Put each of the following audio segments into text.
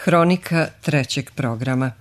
Hronika trećeg programa.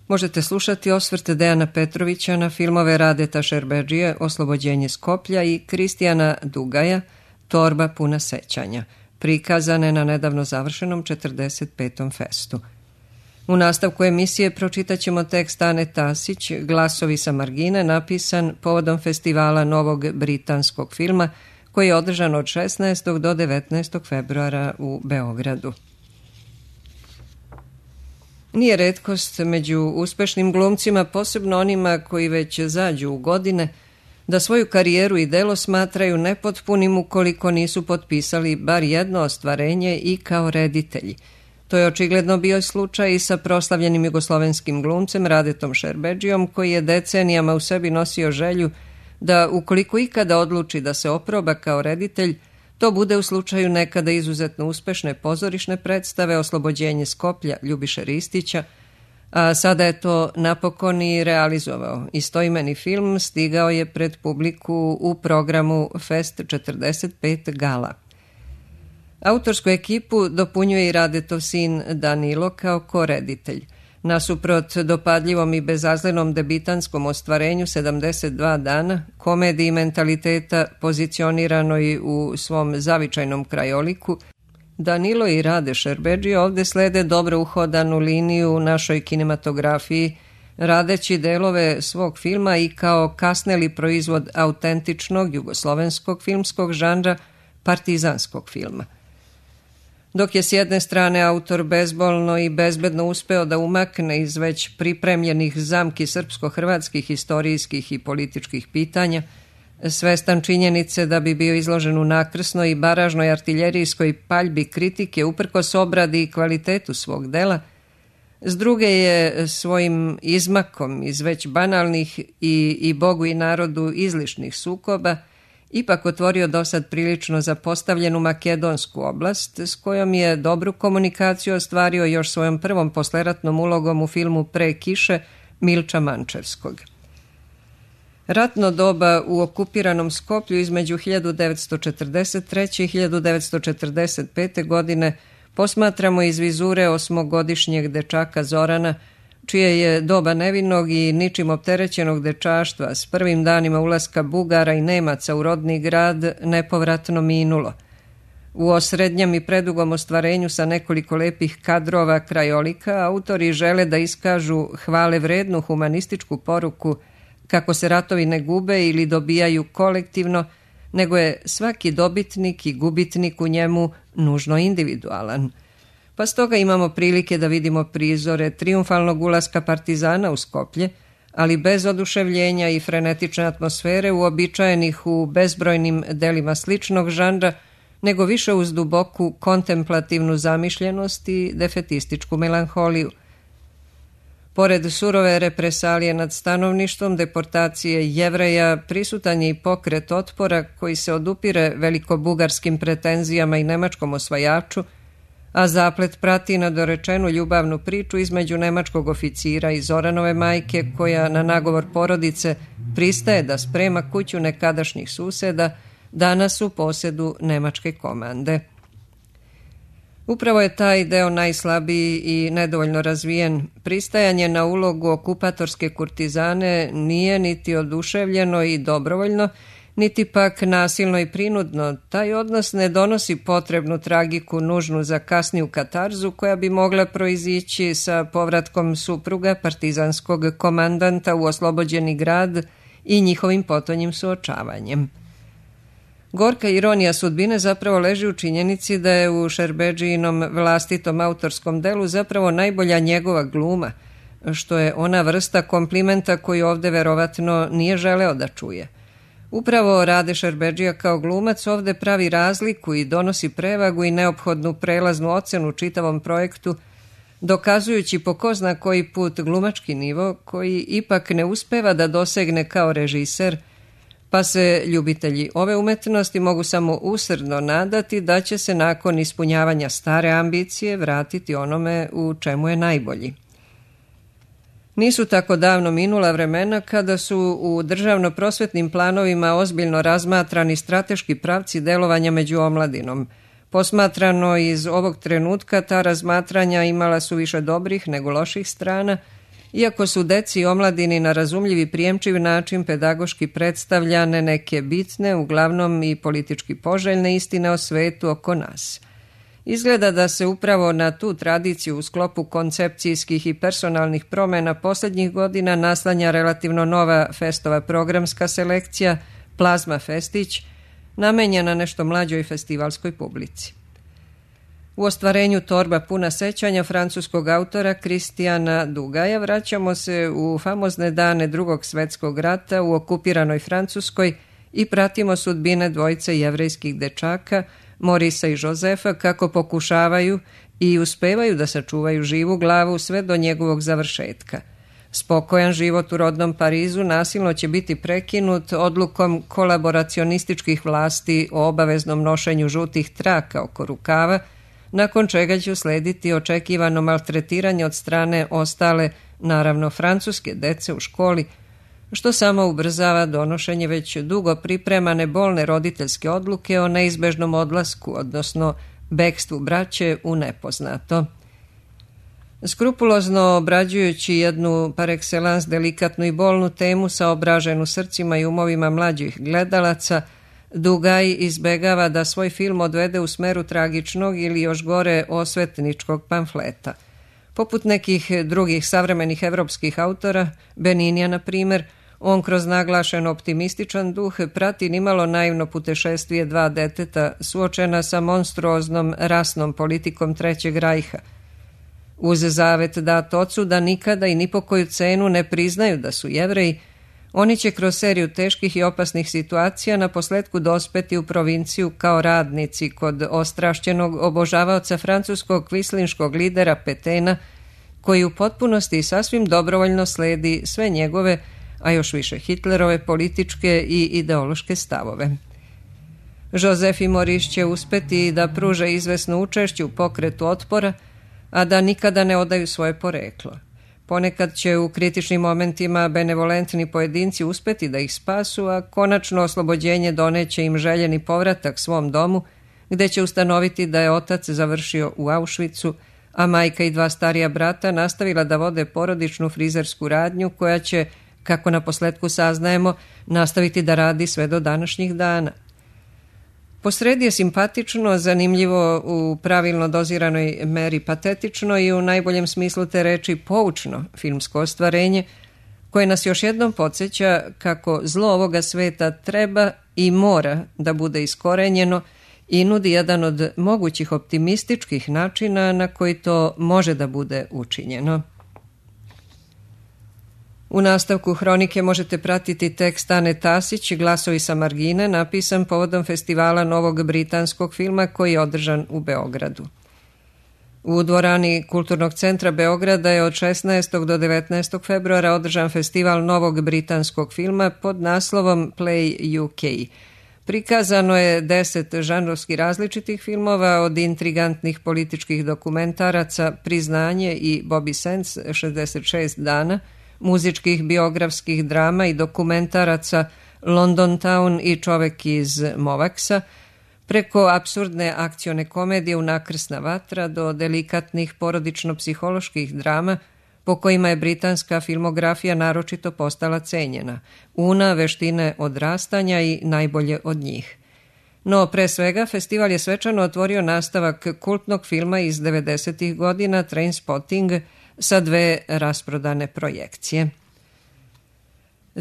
Možete slušati osvrte Dejana Petrovića na filmove Radeta Šerbedžije Oslobođenje Skoplja i Kristijana Dugaja Torba puna sećanja, prikazane na nedavno završenom 45. festu. U nastavku emisije pročitaćemo tekst Ane Tasić, Glasovi sa margine, napisan povodom festivala novog britanskog filma koji je održan od 16. do 19. februara u Beogradu. Nije retkost među uspešnim glumcima, posebno onima koji već zađu u godine, da svoju karijeru i delo smatraju nepotpunim ukoliko nisu potpisali bar jedno ostvarenje i kao reditelji. To je očigledno bio slučaj i sa proslavljenim jugoslovenskim glumcem Radetom Šerbedžijom, koji je decenijama u sebi nosio želju da ukoliko ikada odluči da se oproba kao reditelj, to bude u slučaju nekada izuzetno uspešne pozorišne predstave Oslobođenje Skoplja Ljubiše Ristića, a sada je to napokon i realizovao. Istoimeni film stigao je pred publiku u programu Fest 45 Gala. Autorsku ekipu dopunjuje i Radetov sin Danilo kao koreditelj. Nasuprot dopadljivom i bezazlenom debitanskom ostvarenju 72 dana, komediji mentaliteta pozicioniranoj u svom zavičajnom krajoliku, Danilo i Rade Šerbedžije ovde slede dobro uhodanu liniju u našoj kinematografiji, radeći delove svog filma i kao kasneli proizvod autentičnog jugoslovenskog filmskog žanra, partizanskog filma. Dok je s jedne strane autor bezbolno i bezbedno uspeo da umakne iz već pripremljenih zamki srpsko-hrvatskih historijskih i političkih pitanja, svestan činjenice da bi bio izložen u nakrsnoj i baražnoj artiljerijskoj paljbi kritike uprkos obradi i kvalitetu svog dela, s druge je svojim izmakom iz već banalnih i Bogu i narodu izlišnih sukoba ipak otvorio dosad prilično zapostavljenu makedonsku oblast, s kojom je dobru komunikaciju ostvario još svojom prvom posleratnom ulogom u filmu Pre kiše Milča Mančevskog. Ratno doba u okupiranom Skoplju između 1943. i 1945. godine posmatramo iz vizure osmogodišnjeg dečaka Zorana, čije je doba nevinog i ničim opterećenog dečaštva s prvim danima ulaska Bugara i Nemaca u rodni grad nepovratno minulo. U osrednjem i predugom ostvarenju sa nekoliko lepih kadrova krajolika, autori žele da iskažu hvale vrednu humanističku poruku kako se ratovi ne gube ili dobijaju kolektivno, nego je svaki dobitnik i gubitnik u njemu nužno individualan. Pa stoga imamo prilike da vidimo prizore trijumfalnog ulaska partizana u Skoplje, ali bez oduševljenja i frenetične atmosfere uobičajenih u bezbrojnim delima sličnog žanra, nego više uz duboku kontemplativnu zamišljenost i defetističku melanholiju. Pored surove represalije nad stanovništvom, deportacije Jevreja, prisutan je i pokret otpora koji se odupire velikobugarskim pretenzijama i nemačkom osvajaču, a zaplet prati nadorečenu ljubavnu priču između nemačkog oficira i Zoranove majke, koja na nagovor porodice pristaje da sprema kuću nekadašnjih suseda, danas u posedu nemačke komande. Upravo je taj deo najslabiji i nedovoljno razvijen. Pristajanje na ulogu okupatorske kurtizane nije niti oduševljeno i dobrovoljno, niti pak nasilno i prinudno. Taj odnos ne donosi potrebnu tragiku nužnu za kasniju katarzu koja bi mogla proizići sa povratkom supruga partizanskog komandanta u oslobođeni grad i njihovim potonjim suočavanjem. Gorka ironija sudbine zapravo leži u činjenici da je u Šerbedžijinom vlastitom autorskom delu zapravo najbolja njegova gluma, što je ona vrsta komplimenta koju ovde verovatno nije želeo da čuje. Upravo Rade Šerbedžija kao glumac ovde pravi razliku i donosi prevagu i neophodnu prelaznu ocenu čitavom projektu, dokazujući po ko zna koji put glumački nivo koji ipak ne uspeva da dosegne kao režiser, pa se ljubitelji ove umetnosti mogu samo usrdno nadati da će se nakon ispunjavanja stare ambicije vratiti onome u čemu je najbolji. Nisu tako davno minula vremena kada su u državno-prosvetnim planovima ozbiljno razmatrani strateški pravci delovanja među omladinom, Posmatrano iz ovog trenutka, ta razmatranja imala su više dobrih nego loših strana, iako su deci i omladini na razumljiv i prijemčiv način pedagoški predstavljane neke bitne, uglavnom i politički poželjne istine o svetu oko nas. Izgleda da se upravo na tu tradiciju u sklopu koncepcijskih i personalnih promjena posljednjih godina naslanja relativno nova festova programska selekcija Plazma Festić, namenjena nešto mlađoj festivalskoj publici. U ostvarenju Torba puna sećanja francuskog autora Kristijana Dugaja vraćamo se u famozne dane Drugog svjetskog rata u okupiranoj Francuskoj i pratimo sudbine dvojice jevrejskih dečaka, Morisa i Josefa, kako pokušavaju i uspevaju da sačuvaju živu glavu sve do njegovog završetka. Spokojan život u rodnom Parizu nasilno će biti prekinut odlukom kolaboracionističkih vlasti o obaveznom nošenju žutih traka oko rukava, nakon čega će uslediti očekivano maltretiranje od strane ostale, naravno francuske dece u školi, što samo ubrzava donošenje već dugo pripremane bolne roditeljske odluke o neizbežnom odlasku, odnosno bekstvu braće u nepoznato. Skrupulozno obrađujući jednu par excellence delikatnu i bolnu temu saobraženu srcima i umovima mlađih gledalaca, Dugaj izbegava da svoj film odvede u smeru tragičnog ili još gore osvetničkog pamfleta. Poput nekih drugih savremenih evropskih autora, Beninija na primjer, on kroz naglašen optimističan duh prati nimalo naivno putešestvije dva deteta suočena sa monstruoznom rasnom politikom Trećeg rajha. Uz zavet dat ocu da nikada i ni po koju cenu ne priznaju da su Jevreji, oni će kroz seriju teških i opasnih situacija na posletku dospeti u provinciju kao radnici kod ostrašćenog obožavaoca francuskog kvislinškog lidera Petena, koji u potpunosti i sasvim dobrovoljno sledi sve njegove, a još više Hitlerove političke i ideološke stavove. Josef i Maurice će uspeti da pruže izvesno učešće u pokretu otpora, a da nikada ne odaju svoje poreklo. Ponekad će u kritičnim momentima benevolentni pojedinci uspeti da ih spasu, a konačno oslobođenje doneće im željeni povratak svom domu, gde će ustanoviti da je otac završio u Auschwitzu, a majka i dva starija brata nastavila da vode porodičnu frizersku radnju koja će, kako na posletku saznajemo, nastaviti da radi sve do današnjih dana. Posredi je simpatično, zanimljivo, u pravilno doziranoj meri patetično i u najboljem smislu te reči poučno filmsko ostvarenje, koje nas još jednom podsjeća kako zlo ovoga sveta treba i mora da bude iskorenjeno i nudi jedan od mogućih optimističkih načina na koji to može da bude učinjeno. U nastavku hronike možete pratiti tekst Ane Tasić, Glasovi sa margine, napisan povodom festivala novog britanskog filma koji je održan u Beogradu. U dvorani Kulturnog centra Beograda je od 16. do 19. februara održan festival novog britanskog filma pod naslovom Play UK. Prikazano je 10 žanrovski različitih filmova, od intrigantnih političkih dokumentaraca Priznanje i Bobby Sands 66 dana, muzičkih biografskih drama i dokumentaraca London Town i Čovek iz Movaksa, preko apsurdne akcione komedije Unakrsna vatra do delikatnih porodično-psiholoških drama po kojima je britanska filmografija naročito postala cenjena, Una, Veštine odrastanja i Najbolje od njih. No, pre svega, festival je svečano otvorio nastavak kultnog filma iz 90. godina Trainspotting sa 2 rasprodane projekcije.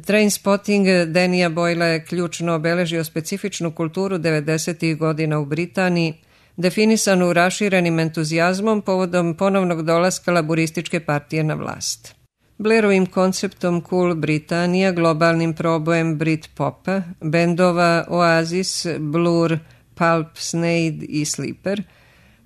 Trainspotting Danija Boylea je ključno obeležio specifičnu kulturu 90. godina u Britaniji, definisanu raširenim entuzijazmom povodom ponovnog dolaska laburističke partije na vlast. Blairovim konceptom Cool Britanija, globalnim probojem Britpopa, bendova Oasis, Blur, Pulp, Sneyd i Sleeper,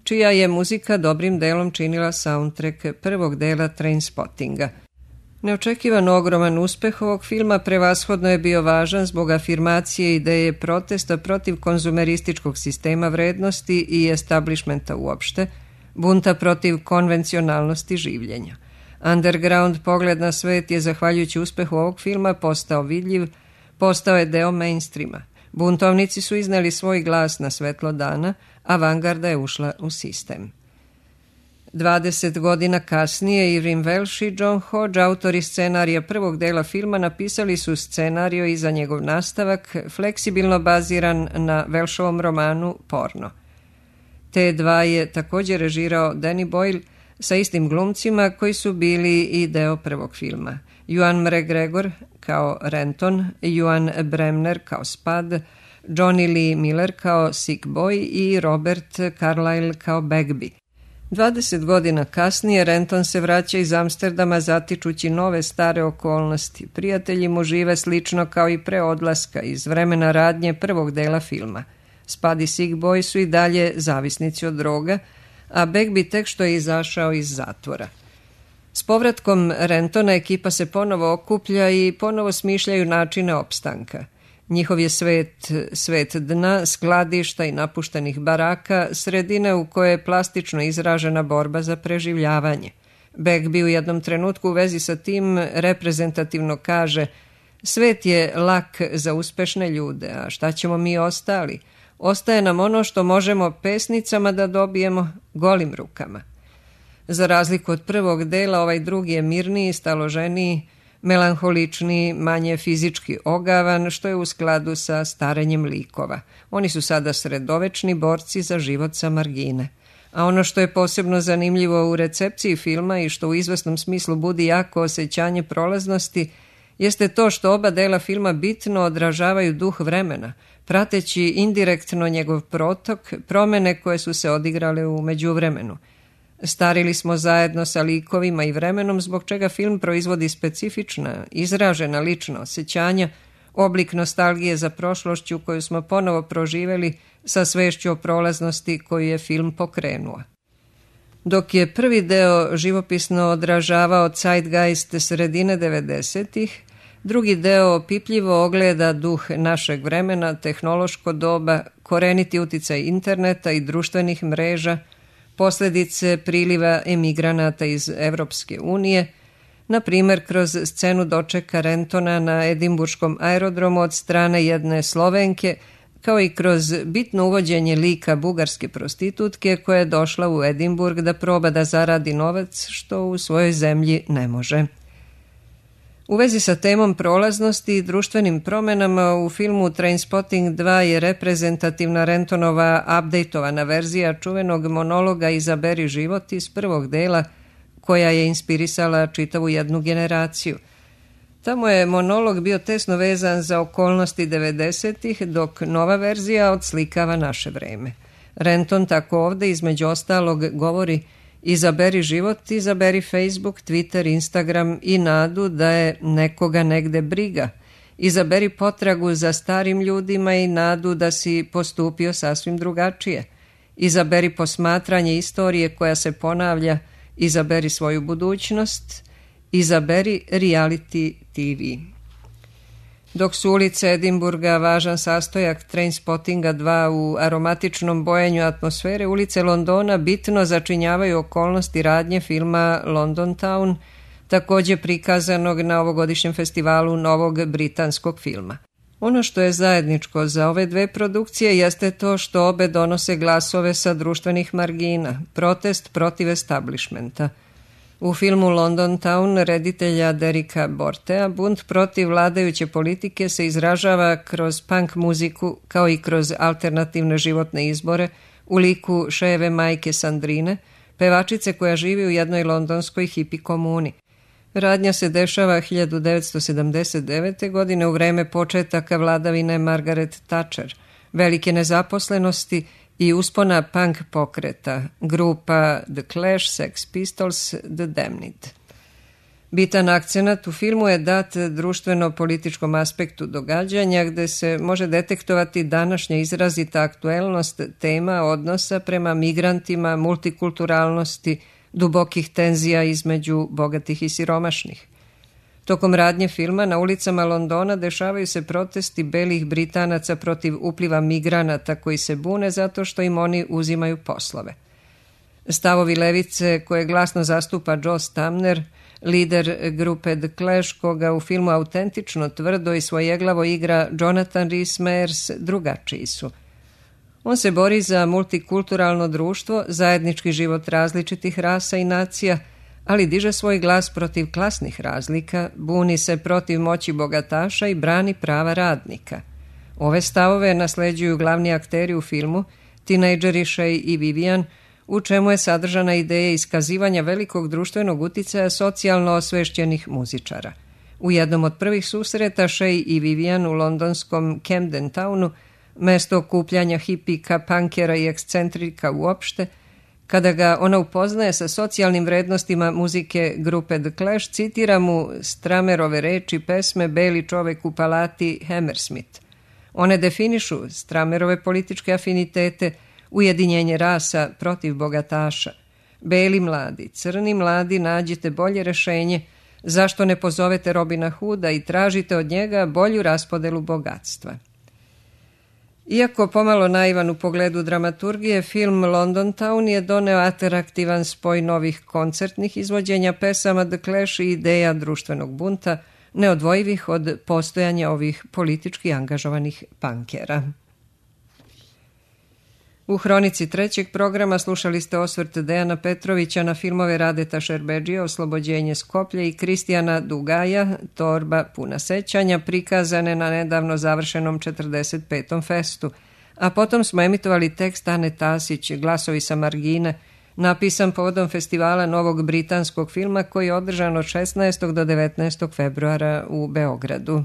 čija je muzika dobrim delom činila soundtrack prvog dela Trainspottinga. Neočekivano ogroman uspeh ovog filma prevashodno je bio važan zbog afirmacije ideje protesta protiv konzumerističkog sistema vrednosti i establishmenta uopšte, bunta protiv konvencionalnosti življenja. Underground pogled na svet je, zahvaljujući uspehu ovog filma, postao vidljiv, postao je deo mainstreama. Buntovnici su izneli svoj glas na svetlo dana, avangarda je ušla u sistem. 20 godina kasnije Irving Welsh i John Hodge, autori scenarija prvog dela filma, napisali su scenario i za njegov nastavak, fleksibilno baziran na Welshovom romanu Porno. T2 je također režirao Danny Boyle sa istim glumcima koji su bili i deo prvog filma. Ewan McGregor kao Renton, Ewan Bremner kao Spud, Johnny Lee Miller kao Sick Boy i Robert Carlyle kao Bagby. 20 godina kasnije Renton se vraća iz Amsterdama zatičući nove stare okolnosti. Prijatelji mu žive slično kao i pre odlaska iz vremena radnje prvog dela filma. Spud i Sick Boy su i dalje zavisnici od droga, a Bagby tek što je izašao iz zatvora. S povratkom Rentona ekipa se ponovo okuplja i ponovo smišljaju načine opstanka. Njihov je svet dna, skladišta i napuštenih baraka, sredine u kojoj je plastično izražena borba za preživljavanje. Bagby u jednom trenutku u vezi sa tim reprezentativno kaže: svet je lak za uspešne ljude, a šta ćemo mi ostali? Ostaje nam ono što možemo pesnicama da dobijemo golim rukama. Za razliku od prvog dela, ovaj drugi je mirniji, staloženiji, melanholičniji, manje fizički ogavan, što je u skladu sa starenjem likova. Oni su sada sredovečni borci za život sa margine. A ono što je posebno zanimljivo u recepciji filma i što u izvesnom smislu budi jako osjećanje prolaznosti, jeste to što oba dela filma bitno odražavaju duh vremena, prateći indirektno njegov protok, promene koje su se odigrale u međuvremenu. Starili smo zajedno sa likovima i vremenom, zbog čega film proizvodi specifična, izražena lična osjećanja, oblik nostalgije za prošlošću koju smo ponovo proživeli sa svešću o prolaznosti koju je film pokrenuo. Dok je prvi deo živopisno odražavao zeitgeist sredine 90-ih, drugi deo opipljivo ogleda duh našeg vremena, tehnološko doba, koreniti uticaj interneta i društvenih mreža, posljedice priliva emigranata iz Evropske unije, na primjer kroz scenu dočeka Rentona na edimburškom aerodromu od strane jedne Slovenke, kao i kroz bitno uvođenje lika bugarske prostitutke koja je došla u Edimburg da proba da zaradi novac što u svojoj zemlji ne može. U vezi sa temom prolaznosti i društvenim promenama u filmu Trainspotting 2 je reprezentativna Rentonova updateovana verzija čuvenog monologa Izaberi život iz prvog dela, koja je inspirisala čitavu jednu generaciju. Tamo je monolog bio tesno vezan za okolnosti 90-ih, dok nova verzija odslikava naše vreme. Renton tako ovde između ostalog govori: izaberi život, izaberi Facebook, Twitter, Instagram i nadu da je nekoga negde briga. Izaberi potragu za starim ljudima i nadu da si postupio sasvim drugačije. Izaberi posmatranje istorije koja se ponavlja, izaberi svoju budućnost, izaberi reality TV. Dok su ulice Edimburga važan sastojak Trainspottinga 2 u aromatičnom bojenju atmosfere, ulice Londona bitno začinjavaju okolnosti radnje filma London Town, također prikazanog na ovogodišnjem festivalu novog britanskog filma. Ono što je zajedničko za ove dve produkcije jeste to što obe donose glasove sa društvenih margina, protest protiv establishmenta. U filmu London Town reditelja Derika Bortea bunt protiv vladajuće politike se izražava kroz punk muziku kao i kroz alternativne životne izbore u liku šejeve majke Sandrine, pevačice koja živi u jednoj londonskoj hipi komuni. Radnja se dešava 1979. godine u vreme početaka vladavine Margaret Thatcher, velike nezaposlenosti i uspona punk pokreta, grupa The Clash, Sex Pistols, The Damned. Bitan akcenat u filmu je dat društveno-političkom aspektu događanja, gde se može detektovati današnja izrazita aktuelnost tema odnosa prema migrantima, multikulturalnosti, dubokih tenzija između bogatih i siromašnih. Tokom radnje filma na ulicama Londona dešavaju se protesti belih Britanaca protiv upliva migranata koji se bune zato što im oni uzimaju poslove. Stavovi levice koje glasno zastupa Joe Stamner lider grupe The Clash, koga u filmu autentično, tvrdo i svojeglavo igra Jonathan Rhys-Meyers, drugačiji su. On se bori za multikulturalno društvo, zajednički život različitih rasa i nacija, ali diže svoj glas protiv klasnih razlika, buni se protiv moći bogataša i brani prava radnika. Ove stavove nasleđuju glavni akteri u filmu, tinejdžeri Shay i Vivian, u čemu je sadržana ideja iskazivanja velikog društvenog uticaja socijalno osvešćenih muzičara. U jednom od prvih susreta Shay i Vivian u londonskom Camden Townu, mesto okupljanja hipika, punkera i ekscentrika uopšte, kada ga ona upoznaje sa socijalnim vrednostima muzike grupe The Clash, citira mu Stramerove reči pesme Beli čovek u palati Hammersmith. One definišu Stramerove političke afinitete, ujedinjenje rasa protiv bogataša. Beli mladi, crni mladi, nađite bolje rešenje, zašto ne pozovete Robina Hooda i tražite od njega bolju raspodelu bogatstva. Iako pomalo naivan u pogledu dramaturgije, film London Town je doneo atraktivan spoj novih koncertnih izvođenja pesama The Clash i ideja društvenog bunta, neodvojivih od postojanja ovih politički angažovanih punkera. U hronici trećeg programa slušali ste osvrt Dejana Petrovića na filmove Radeta Šerbedžije Oslobođenje Skoplja i Kristijana Dugaja Torba puna sećanja, prikazane na nedavno završenom 45. festu, a potom smo emitovali tekst Ane Tasić, Glasovi sa margine, napisan povodom festivala novog britanskog filma koji je održan od 16. do 19. februara u Beogradu.